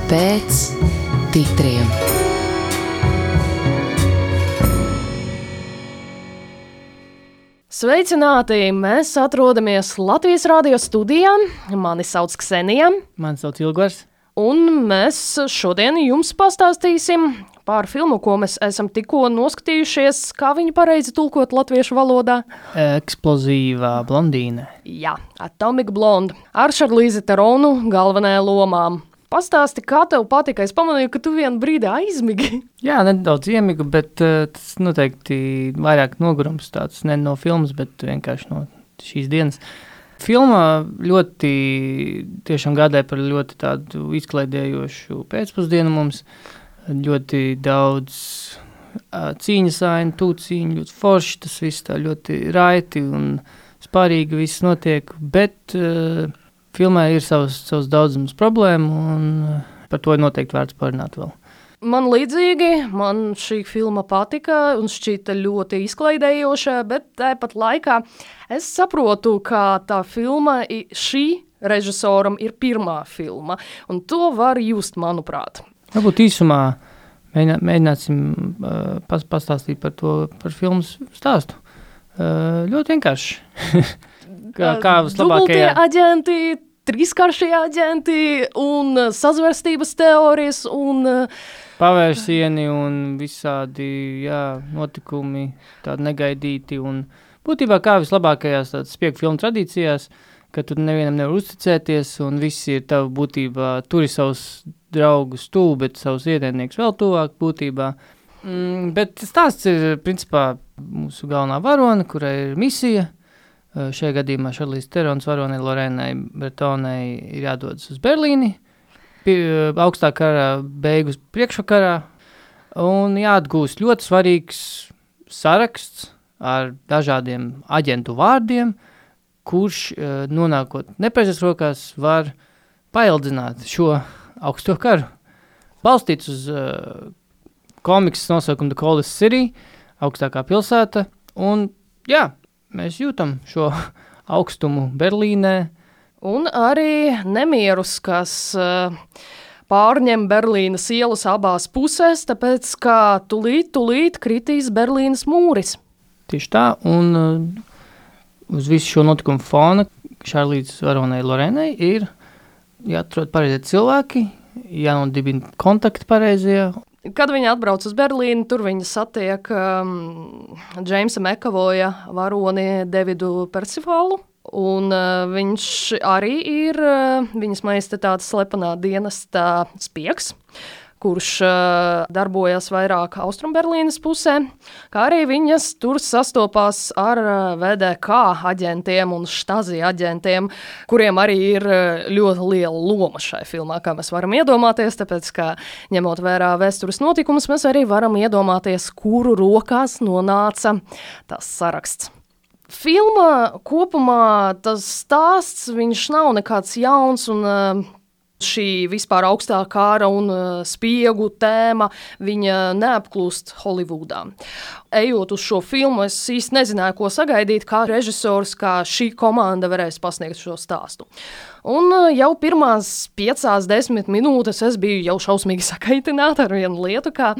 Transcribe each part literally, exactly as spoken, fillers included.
Pēc titriem. Sveicināti! Mēs atrodamies Latvijas radio studijā. Mani sauc Ksenija. Mani sauc Ilgvars. Un mēs šodien jums pastāstīsim par filmu, ko mēs esam tikko noskatījušies, kā viņu pareizi tulkot latviešu valodā. Eksplozīvā blondīne. Jā, Atomic Blonde. Ar Šarlīzi Teronu galvenajā lomām. Pastāsti, kā tev patika? Es pamanīju, ka tu vienu brīdi aizmigi. Jā, nedaudz iemigu, bet uh, tas noteikti vairāk nogurums tāds, ne no filmas, bet vienkārši no šīs dienas. Filma ļoti tiešām gādāja par ļoti tādu izklaidējošu pēcpusdienu mums. Ļoti daudz uh, cīņas ainu, tūcīņu, ļoti forši, tas viss tā ļoti raiti un spārīgi viss notiek, bet... Uh, Filmā ir savas, savas daudzums problēmu, un par to ir noteikti vērts parunāt vēl. Man līdzīgi, man šī filma patika un šķita ļoti izklaidējoša, bet tāpat laikā es saprotu, ka tā filma, šī režisoram ir pirmā filma, un to var just, manuprāt. Varbūt īsumā mēģinā, mēģināsim uh, pas, pastāstīt par to, par filmas stāstu. Uh, ļoti vienkārši. kā, kā Dubultie aģenti, trīskāršie aģenti un sazvērstības teorijas un... Pavērsieni un visādi, jā, notikumi, tādi negaidīti un būtībā kā vislabākajās tādas spiegu filmu tradīcijās, ka tu nevienam nevar uzticēties un visi ir tavu būtībā, turi savus draugus tuvu, bet savus ienaidniekus vēl tuvāk būtībā. Mm, bet stāsts ir, principā, mūsu galvenā varone, kurai ir misija. Šajā gadījumā Šarlīze Terons varonei Lorēnai Bretonai ir jādodas uz Berlīni, pie, augstā karā beigus priekšvakarā, un jāatgūst ļoti svarīgs saraksts ar dažādiem aģentu vārdiem, kurš, nonākot nepareizās rokās, var paildzināt šo augsto karu. Balstīts uz uh, komiksas nosaukumu The Coldest City, augstākā pilsēta, un jā, mēs jūtam šo augstumu Berlīnē. Un arī nemierus, kas uh, pārņem Berlīnas ielas abās pusēs, tāpēc, ka tulīt, tulīt kritīs Berlīnas mūris. Tieši tā, un uh, uz visu šo notikumu fona Šarlīzes varonei Lorēnai ir jāatrod pareizie cilvēki, jānodibina kontakti pareizie. Kad viņa atbrauc uz Berlīnu, tur viņa satiek um, Džeimsa Mekavoja varoni Davidu Percivalu, un uh, viņš arī ir uh, viņas majestātes slepenā dienesta spiegs, kurš uh, darbojas vairāk Austrumberlīnas pusē, kā arī viņas tur sastopās ar uh, V D K aģentiem un Stasi aģentiem, kuriem arī ir uh, ļoti liela loma šai filmā, kā mēs varam iedomāties, tāpēc, ka ņemot vērā vēstures notikumus, mēs arī varam iedomāties, kuru rokās nonāca tas saraksts. Filma kopumā tas stāsts, viņš nav nekāds jauns un uh, šī vispār augstā kāra un uh, spiegu tēma, viņa neapklūst Holivudā. Ejot uz šo filmu, es īsti nezināju, ko sagaidīt, kā režisors, kā šī komanda varēs pasniegt šo stāstu. Un uh, jau pirmās piecās, desmit minūtes es biju jau šausmīgi sakaitināta ar vienu lietu, kā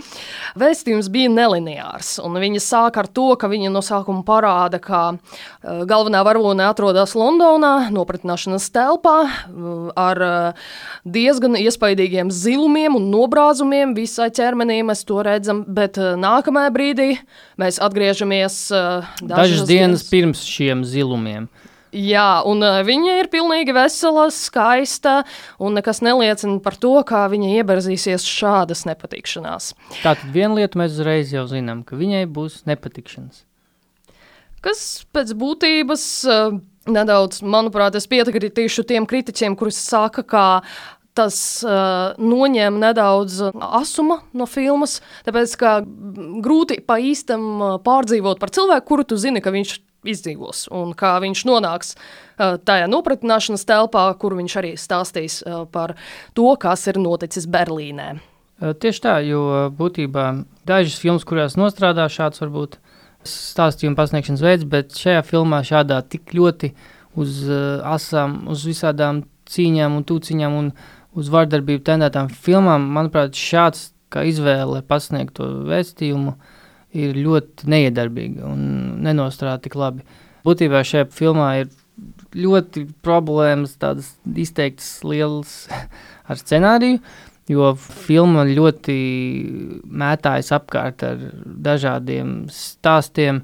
vēstījums bija nelineārs. Un viņa sāk ar to, ka viņa no sākuma parāda, ka uh, galvenā varone atrodas Londonā, nopratināšanas telpā, uh, ar uh, diezgan iespaidīgiem zilumiem un nobrāzumiem visai ķermenī mēs to redzam, bet uh, nākamajā brīdī mēs atgriežamies uh, dažas, dažas dienas, dienas pirms šiem zilumiem. Jā, un uh, viņa ir pilnīgi vesela, skaista, un nekas neliecina par to, kā viņa ieberzīsies šādas nepatikšanās. Tātad viena lieta mēs uzreiz jau zinām, ka viņai būs nepatikšanas. Kas pēc būtības uh, nedaudz, manuprāt, es piekritīšu tiem kritiķiem, kurus saka, ka tas uh, noņem nedaudz asuma no filmas, tāpēc, ka grūti pa īstam pārdzīvot par cilvēku, kuru tu zini, ka viņš izdzīvos, un kā viņš nonāks uh, tajā nopratināšanas telpā, kur viņš arī stāstīs uh, par to, kas ir noticis Berlīnē. Tieši tā, jo būtībā dažas filmas, kurās nostrādā šāds varbūt stāstījuma pasniegšanas veids, bet šajā filmā šādā tik ļoti uz uh, asām, uz visādām cīņām un tūciņām un uz vardarbību tendētām filmām, manuprāt, šāds kā izvēle pasniegt to vēstījumu ir ļoti neiedarbīga un nenostrādā tik labi. Būtībā šajā filmā ir ļoti problēmas, tādas izteiktas lielas ar scenāriju, jo filma ļoti mētājas apkārt ar dažādiem stāstiem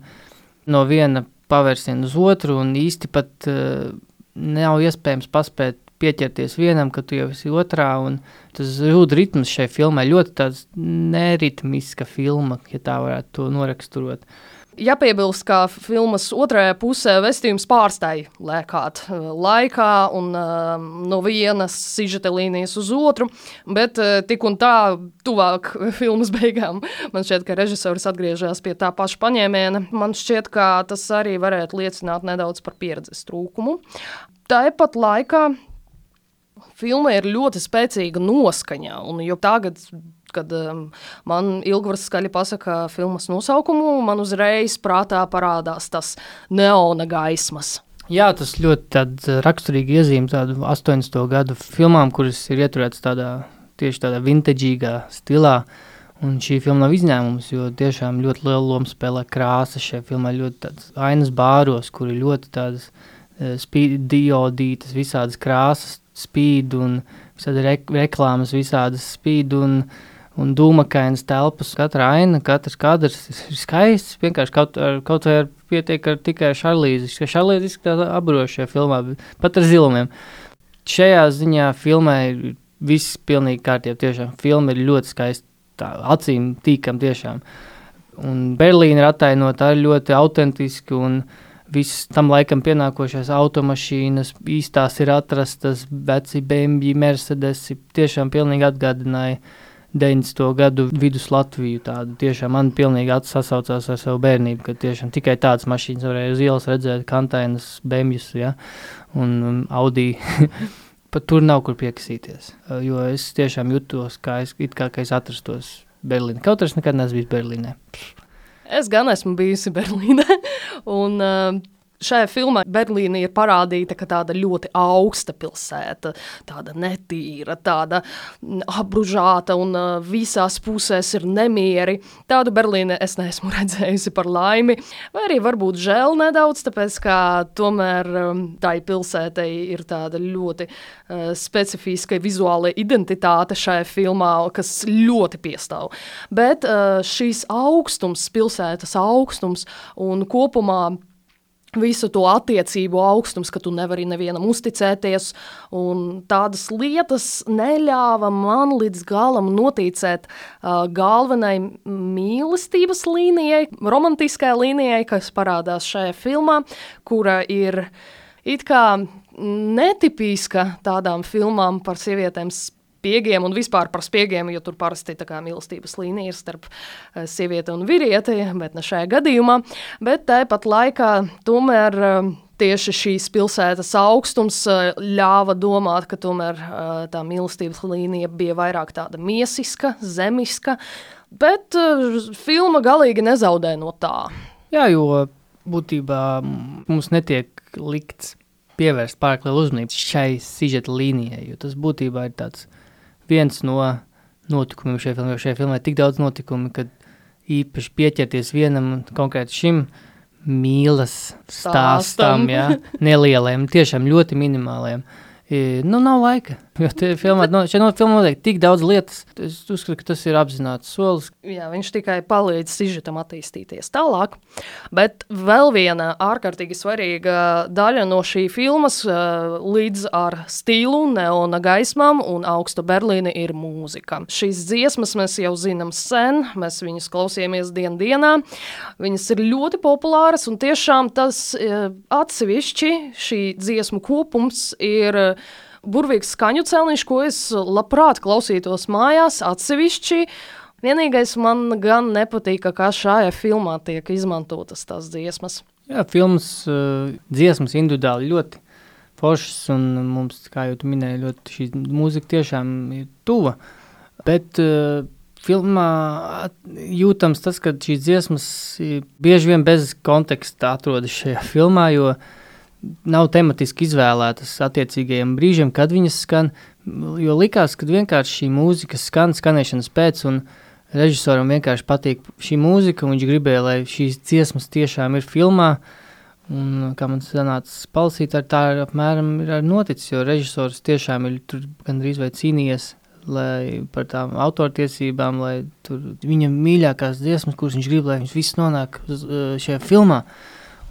no viena pavērsiena uz otru, un īsti pat uh, nav iespējams paspēt pieķerties vienam, kad tu jau esi otrā, un tas zūd ritms šai filmai, ļoti tāds neritmiska filma, ja tā varētu to noraksturot. Jāpiebilst, ka filmas otrajā pusē vēstījums pārstāja lēkāt laikā un uh, no vienas sižeta līnijas uz otru, bet uh, tik un tā tuvāk filmas beigām. Man šķiet, ka režisors atgriežās pie tā paša paņēmiena. Man šķiet, ka tas arī varētu liecināt nedaudz par pieredzes trūkumu. Tāpat laikā filma ir ļoti spēcīga noskaņa, un jo tagad, kad um, man Ilgvars skaļi pasaka filmas nosaukumu, man uzreiz prātā parādās tas neona gaismas. Jā, tas ļoti tād raksturīgi iezīme tādu astoņdesmito gadu filmām, kuras ir ieturētas tādā, tieši tādā vintaģīgā stilā, un šī filma nav izņēmums, jo tiešām ļoti lielu lomu spēlē krāsas šajā filmā, ļoti tādas ainas bāros, kuri ļoti tādas uh, spīd, diodītas, visādas krāsas spīd un visādi re reklāmas visādas spīd un, un dūmakainas telpas. Katra aina, katrs kadrs ir skaists, vienkārši kaut, ar, kaut vai ar pietiek ar tikai Šarlīzi. Šarlīzi izskatās apburoši šajā filmā, pat ar zilumiem. Šajā ziņā filmai ir viss pilnīgi kārtībā, tiešām. Filma ir ļoti skaista, tā, acīm tīkam tiešām. Un Berlīna ir attainota arī ļoti autentiski un viss tam laikam pienākošās automašīnas, īstās ir atrastas, veci B M W, Mercedesi, tiešām pilnīgi atgādināja deviņdesmito gadu vidus Latviju tādu. Tiešām man pilnīgi atsasaucās ar savu bērnību, ka tiešām tikai tādas mašīnas varēja uz ielas redzēt, kantainas, B M Ws, ja, un um, Audi. Pat tur nav kur piekasīties, jo es tiešām jutos, kā es, it kā, ka es atrastos Berlīnē. Kaut arī nekad neesmu bijis Berlīnē. Es gan esmu bijusi Berlīnē, un uh, šajā filmā Berlīna ir parādīta, ka tāda ļoti augsta pilsēta, tāda netīra, tāda apbružāta un uh, visās pusēs ir nemieri. Tādu Berlīne es neesmu redzējusi par laimi, vai arī varbūt žēl nedaudz, tāpēc, ka tomēr um, tai pilsētai ir tāda ļoti uh, specifiska vizuāla identitāte šajā filmā, kas ļoti piestāv. Bet uh, šīs augstums, pilsētas augstums un kopumā visu to attiecību augstums, ka tu nevari nevienam uzticēties, un tādas lietas neļāva man līdz galam noticēt uh, galvenai mīlestības līnijai, romantiskai līnijai, kas parādās šajā filmā, kura ir it kā netipiska tādām filmām par sievietēm spiegiem un vispār par spiegiem, jo tur parasti tā kā mīlestības līnija ir starp uh, sievieti un vīrieti, bet ne šajā gadījumā. Bet tāpat laikā tomēr uh, tieši šīs pilsētas augstums uh, ļāva domāt, ka tomēr uh, tā mīlestības līnija bija vairāk tāda miesiska, zemiska, bet uh, filma galīgi nezaudē no tā. Jā, jo būtībā mums netiek likts pievērst pārāk lielu uzmanību šai sižeta līnijai, jo tas būtībā ir tāds viens no notikumiem šajā filmā, jo šajā filmā ir tik daudz notikumu, kad īpaši pieķerties vienam konkrēti šim mīlas stāstam, jā, nelieliem, tiešām ļoti minimāliem. I, nu, nav laika, jo te filmā, no, šeit no filmā notiek tik daudz lietas. Es uzskatu, ka tas ir apzināts solis. Jā, viņš tikai palīdz sižetam attīstīties tālāk. Bet vēl viena ārkārtīgi svarīga daļa no šī filmas līdz ar stilu, neona gaismām un augstu Berlīni ir mūzika. Šīs dziesmas mēs jau zinām sen, mēs viņas klausījāmies dien dienā. Viņas ir ļoti populāras un tiešām tas atsevišķi šī dziesmu kopums ir burvīgs skaņu celniņš, ko es labprāt klausītos mājās atsevišķi. Vienīgais man gan nepatīk, kā šajā filmā tiek izmantotas tās dziesmas. Jā, filmas uh, dziesmas individuāli ļoti foršas un mums, kā jau tu minēji, ļoti šī mūzika tiešām ir tuva. Bet uh, filmā jūtams tas, ka šīs dziesmas bieži vien bez konteksta atrodas šajā filmā, jo nav tematiski izvēlētas attiecīgajiem brīžiem, kad viņas skan, jo likās, ka vienkārši šī mūzika skan skanēšanas pēc, un režisoram vienkārši patīk šī mūzika, un viņš gribēja, lai šīs dziesmas tiešām ir filmā, un kā man sanāca palasīt, ar tā apmēram ir noticis, jo režisors tiešām ir tur gandrīz vai cīnījies, lai par tām autortiesībām, lai tur viņa mīļākās dziesmas, kuras viņš grib, lai viņš viss nonāk uz šajā filmā.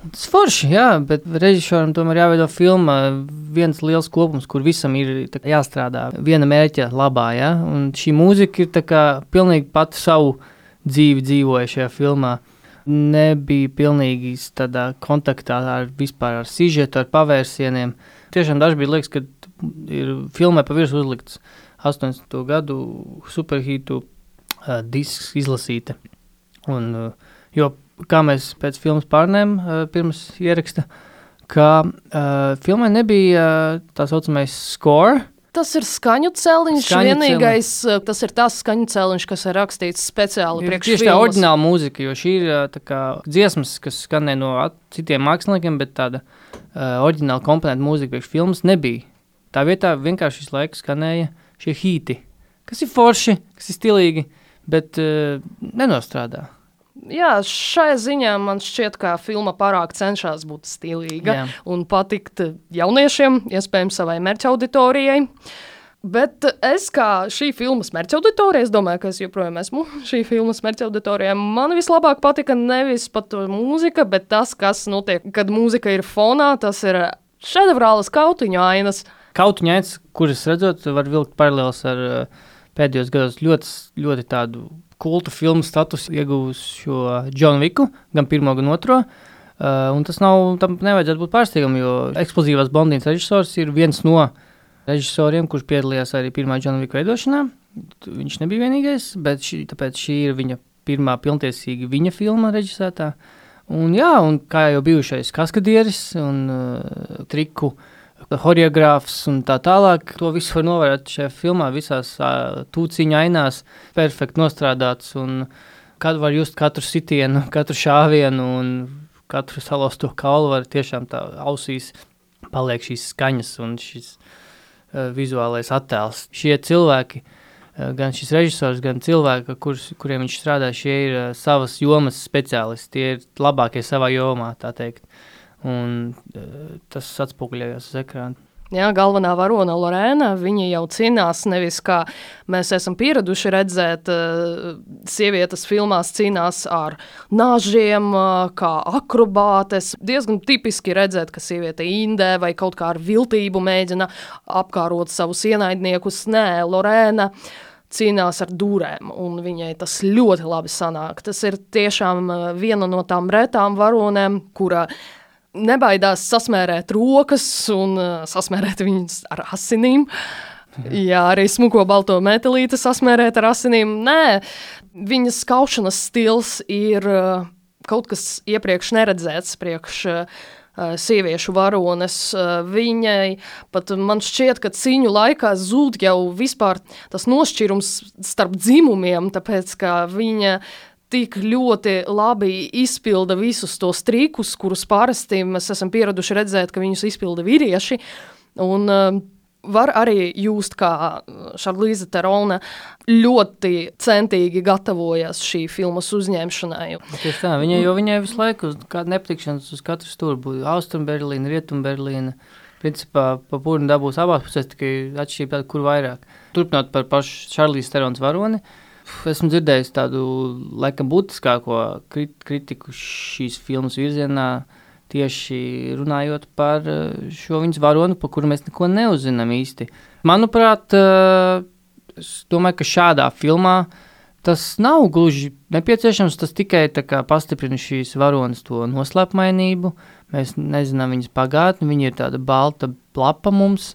Tas forši, jā, bet režisoram tomēr jāveido filma viens liels kopums, kur visam ir tā, jāstrādā viena mērķa labā, jā, un šī mūzika ir tā kā pilnīgi pati savu dzīvi dzīvoja šajā filmā. Nebija pilnīgi tādā kontaktā ar vispār ar sižetu, ar pavērsieniem. Tiešām daži bija liekas, ka ir filmai pa virsmu uzlikts astoņdesmito gadu superhītu uh, disks izlasīta. Un, uh, jo kā mēs pēc filmas pārnēm uh, pirms ieraksta, ka uh, filmai nebija uh, tā saucamais score. Tas ir skaņu celiņš, Skaņu vienīgais, celiņš. Tas ir tas skaņu celiņš, kas ir rakstīts speciāli priekš filmas. Tieši tā oriģināla mūzika, jo šī ir uh, tā kā dziesmas, kas skanē no citiem māksliniekiem, bet tāda uh, oriģināla komponenta mūzika priekš filmas nebija. Tā vietā vienkārši visu laiku skanēja šie hīti, kas ir forši, kas ir stilīgi, bet uh, nenostrādā. Jā, šai ziņā man šķiet, ka filma pārāk cenšas būt stilīga Jā. un patikt jauniešiem, iespējams savai mērķa auditorijai. Bet es kā šī filmas mērķa auditorija, es domāju, ka es joprojām esmu šī filmas mērķa auditorijai. Man vislabāk patika nevis pat mūzika, bet tas, kas notiek, kad mūzika ir fonā, tas ir šedevrālas kautiņu ainas. Kautiņu ainas, kuras redzot, var vilkt paralēls ar uh, pēdējos gados ļoti, ļoti tādu kultu filmu statusu iegūs šo John Wicku, gan pirmo, gan otro. Uh, un tas nav, tam nevajadzētu būt pārsteigam, jo Eksplozīvās blondīnas režisors ir viens no režisoriem, kurš piedalījās arī pirmā John Wicka veidošanā. Viņš nebija vienīgais, bet šī, tāpēc šī ir viņa pirmā pilntiesīga viņa filma režisētā. Un jā, un kā jau bijušais kaskadieris un uh, triku horeogrāfs un tā tālāk, to visu var novērot šajā filmā, visās uh, tūciņa ainās, perfekti nostrādāts, un kad var just katru sitienu, katru šāvienu un katru salausto kaulu var tiešām tā ausīs paliek šīs skaņas un šis uh, vizuālais attēls. Šie cilvēki, uh, gan šis režisors, gan cilvēki, kurus, kuriem viņš strādā, šie ir uh, savas jomas speciālisti, tie ir labākie savā jomā, tā teikt. Un tas atspoguļojās uz ekrāna. Jā, galvenā varona Lorēna, viņa jau cīnās nevis kā mēs esam pieraduši redzēt, uh, sievietes filmās cīnās ar nažiem, uh, kā akrobātes. Diezgan tipiski redzēt, ka sieviete indē vai kaut kā ar viltību mēģina apkārot savus ienaidniekus. Nē, Lorēna cīnās ar dūrēm, un viņai tas ļoti labi sanāk. Tas ir tiešām uh, viena no tām retām varonēm, kura nebaidās sasmērēt rokas un uh, sasmērēt viņas ar asinīm. Jā, arī smuko balto metelīti sasmērēt ar asinīm. Nē, viņas kaušanas stils ir uh, kaut kas iepriekš neredzēts priekš uh, sieviešu varones. Uh, viņai pat man šķiet, ka cīņu laikā zūd jau vispār tas nošķirums starp dzimumiem, tāpēc, ka viņa tik ļoti labi izpilda visus tos trikus, kurus parasti mēs esam pieraduši redzēt, ka viņus izpilda vīrieši. Un uh, var arī just, kā Šarlīze Terone ļoti centīgi gatavojas šī filmas uzņemšanai. Tieši tā, viņai, jo viņai visu laiku uz kādu nepatikšanas uz katru stūru būtu Austrum Berlīna, Rietum Berlīna. Principā pa pūrni dabūs abās pusēs, tikai atšķirība tāda, kur vairāk. Turpinot par pašu Šarlīzes Terones varoni, esmu dzirdējis tādu, laikam, būtiskāko kritiku šīs filmas virzienā, tieši runājot par šo viņas varonu, par kuru mēs neko neuzzinām īsti. Manuprāt, es domāju, ka šādā filmā tas nav gluži nepieciešams, tas tikai tā kā pastiprina šīs varonas to noslēpmainību. Mēs nezinām viņas pagātni, viņa ir tāda balta plapa mums.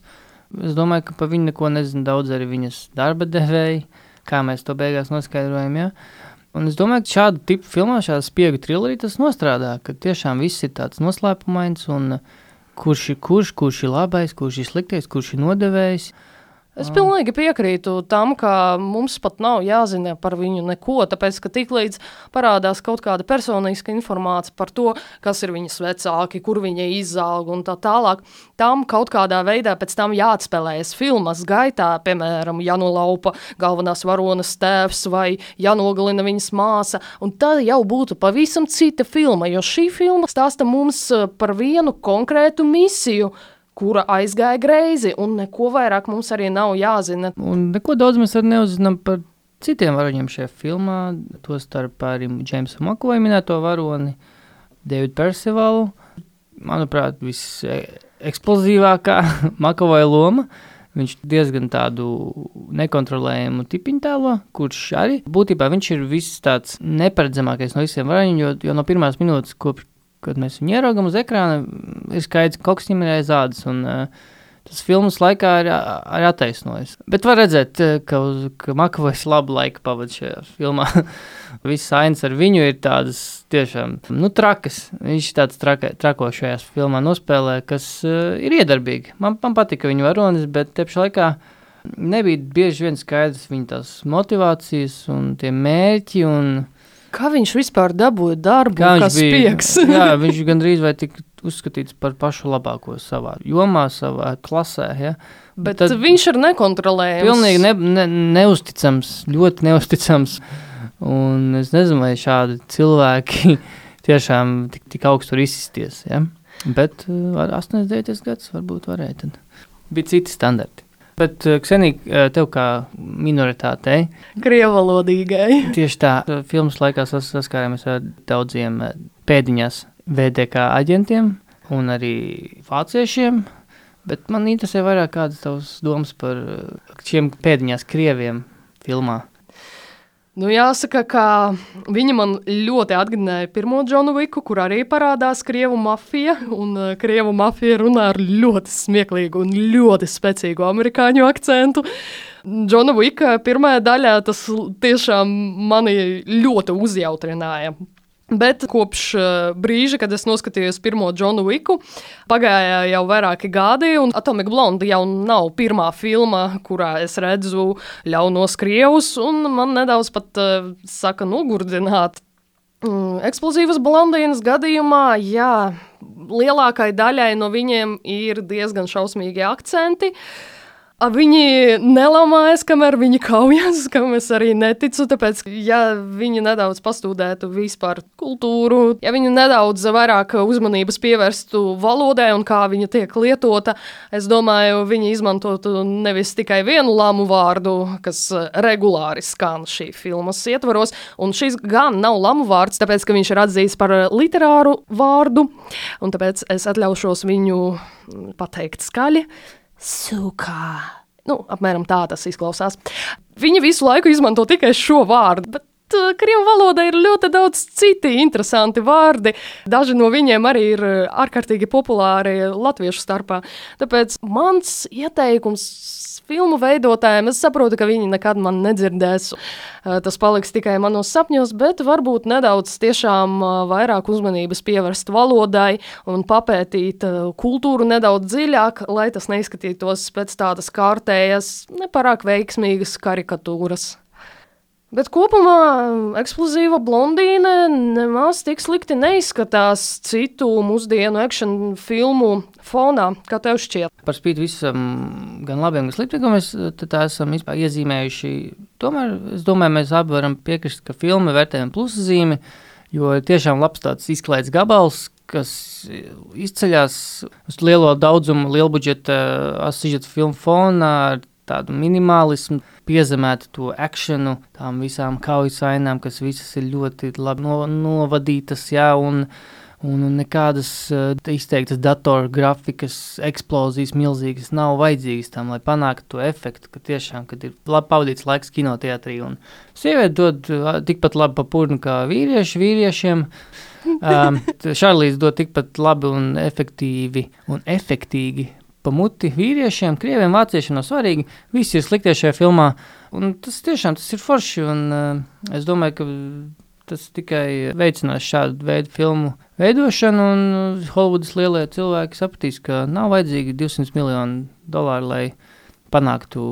Es domāju, ka pa viņu neko nezinu daudz arī viņas darba devēji, kā mēs to beigās noskaidrojam, jā. Un es domāju, ka šādu tipu filmā, šāda spiegu trilerī tas nostrādā, ka tiešām viss ir tāds noslēpumains un kurš ir kurš, kurš ir labais, kurš ir sliktais, kurš ir nodevējs. Es pilnīgi piekrītu tam, ka mums pat nav jāzina par viņu neko, tāpēc, ka tiklīdz parādās kaut kāda personiska informācija par to, kas ir viņas vecāki, kur viņa izauga un tā tālāk, tam kaut kādā veidā pēc tam jāatspēlējas filmas gaitā, piemēram, janolaupa galvenās varonas tēvs vai janogalina viņas māsa, un tad jau būtu pavisam cita filma, jo šī filma stāsta mums par vienu konkrētu misiju, kura aizgāja greizi, un neko vairāk mums arī nav jāzina. Un neko daudz mēs arī neuzzinām par citiem varoņiem šajā filmā, to starp arī Jamesa McAvoya minēto varoni, Davidu Percivalu. Manuprāt, viss eksplozīvākā McAvoya loma. Viņš diezgan tādu nekontrolējumu tipiņu tēlo, kurš arī būtībā viņš ir viss tāds neparedzamākais no visiem varoņiem, jo, jo no pirmās minūtes, kopš kad mēs viņu ieraugam uz ekrāna, ir skaidrs, ka kaut kas viņam ir aiz ādas, un uh, tas filmas laikā ir, ir attaisnojis. Bet var redzēt, ka, uz, ka McAvoys labu laiku pavada šajā filmā. Viss ainas ar viņu ir tādas tiešām, nu, trakas. Viņš tāds traka, trako šajās filmā nospēlē, kas uh, ir iedarbīgi. Man, man patika viņa varonis, bet te pašā laikā nebija bieži vien skaidrs viņa tās motivācijas un tie mērķi un kā viņš vispār dabūja darbu, kas pieks? Jā, viņš gandrīz vai tik uzskatīts par pašu labāko savā jomā, savā klasē, ja. Bet tad viņš ir nekontrolējams. Pilnīgi ne, ne, neusticams, ļoti neusticams, un es nezinu, vai šādi cilvēki tiešām tik, tik augstu var izsisties, ja. Bet ar astoņdesmit devītais gads varbūt varēja tad. Bija citi standarti. Bet, Ksenija, tev kā minoritātei, krievalodīgai, tieši tā, filmas laikā sas, saskārāmies ar daudziem pēdiņās V D K aģentiem un arī vāciešiem, bet man interesē vairāk kādas tavas domas par šiem pēdiņās krieviem filmā. Nu, jāsaka, ka viņa man ļoti atgādināja pirmo Džonu Viku, kur arī parādās krievu mafija, un uh, krievu mafija runā ar ļoti smieklīgu un ļoti spēcīgu amerikāņu akcentu. Džona Vika pirmajā daļā tas tiešām mani ļoti uzjautrināja. Bet kopš uh, brīža, kad es noskatījos pirmo Džonu Viku, pagāja jau vairāki gadi, un Atomic Blonde jau nav pirmā filma, kurā es redzu ļaunos krievus, un man nedaudz pat uh, saka nogurdināt. Mm, eksplozīvas blondīnas gadījumā, jā, lielākai daļai no viņiem ir diezgan šausmīgi akcenti. Viņi nelamājas, kamēr viņi kaujas, kam es arī neticu, tāpēc, ja viņi nedaudz pastudētu vispār kultūru, ja viņi nedaudz vairāk uzmanības pievērstu valodai un kā viņa tiek lietota, es domāju, viņi izmantotu nevis tikai vienu lamu vārdu, kas regulāri skan šī filmas ietvaros, un šis gan nav lamu vārds, tāpēc, ka viņš ir atzīts par literāru vārdu, un tāpēc es atļaušos viņu pateikt skaļi. Sukā. Nu, apmēram tā tas izklausās. Viņi visu laiku izmanto tikai šo vārdu, bet uh, krievu valodā ir ļoti daudz citi interesanti vārdi. Daži no viņiem arī ir ārkārtīgi populāri latviešu starpā. Tāpēc mans ieteikums filmu veidotājiem, es saprotu, ka viņi nekad man nedzirdēs. Tas paliks tikai manos sapņos, bet varbūt nedaudz tiešām vairāk uzmanības pievērst valodai un papētīt kultūru nedaudz dziļāk, lai tas neizskatītos pēc tādas kārtējas, nepārāk veiksmīgas karikatūras. Bet kopumā eksplozīva blondīne nemaz tik slikti neizskatās citu mūsdienu action filmu fonā, kā tev šķiet. Par spīti visam gan labiem, gan sliktiem, ko mēs tā esam iezīmējuši, tomēr es domāju, mēs abi varam piekrist, ka filma vērtējam plusazīmi, jo tiešām labs tāds izklaids gabals, kas izceļās uz lielo daudzumu, lielbudžeta asižeta filmu fonā ar tādu minimālismu, piezemētu to akšanu, tām visām kaujas ainām, kas visas ir ļoti labi no, novadītas, jā, un, un nekādas uh, izteiktas datoru grafikas, eksplozijas milzīgas nav vajadzīgas tam, lai panāktu to efektu, ka tiešām, kad ir labi pavadīts laiks kinoteatrī, un sievieti dod uh, tikpat labi pa purnu kā vīrieši vīriešiem, um, Šarlīs dod tikpat labi un efektīvi un efektīgi pa muti vīriešiem, krieviem, vāciešiem nav svarīgi, visi ir sliktie šajā filmā, un tas tiešām tas ir forši, un uh, es domāju, ka tas tikai veicinās šādu veidu filmu veidošanu, un Hollywoodas lielie cilvēki sapratīs, ka nav vajadzīgi divsimt miljonu dolāru, lai panāktu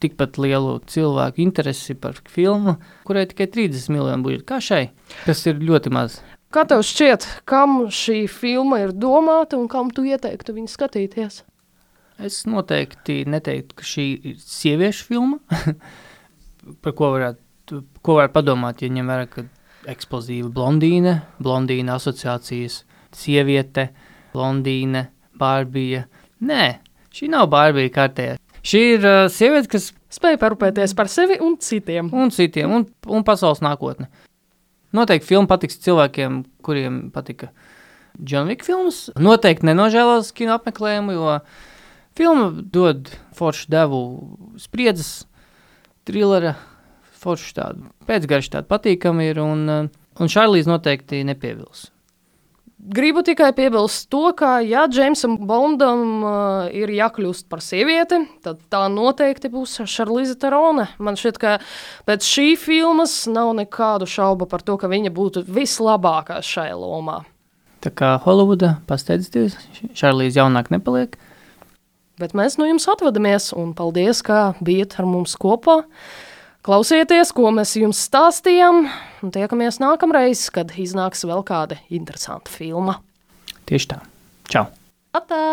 tikpat lielu cilvēku interesi par filmu, kurai tikai trīsdesmit miljonu budžetu, kā šai, kas ir ļoti maz. Kā tev šķiet, kam šī filma ir domāta un kam tu ieteiktu viņu skatīties? Es noteikti neteiktu, ka šī ir sieviešu filma, par ko varētu, ko varētu padomāt, ja ņem vērā, ka eksplozīva blondīne, blondīna asociācijas, sieviete, blondīne, Barbija. Nē, šī nav Barbija kārtējā. Šī ir uh, sieviete, kas spēj parūpēties par sevi un citiem. Un citiem, un, un pasaules nākotne. Noteikti filma patiks cilvēkiem, kuriem patika John Wick filmas. Noteikti nenožēlos kino apmeklējumu, jo filma dod foršu devu spriedzes, trilera, foršu tādu, pēcgarši tādu patīkami ir, un, un Šarlīze noteikti nepievils. Gribu tikai piebilst to, ka, ja Džeimsam Bondam uh, ir jākļūst par sievieti, tad tā noteikti būs Šarlize Terone. Man šķiet, ka pēc šī filmas nav nekādu šaubu par to, ka viņa būtu vislabākā šajā lomā. Tā kā Holivuda pasteidzties, Šarlize jaunāk nepaliek. Bet mēs no jums atvadamies, un paldies, ka bijat ar mums kopā. Klausieties, ko mēs jums stāstījām, un tiekamies nākamreiz, kad iznāks vēl kāda interesanta filma. Tieši tā. Čau! Atā!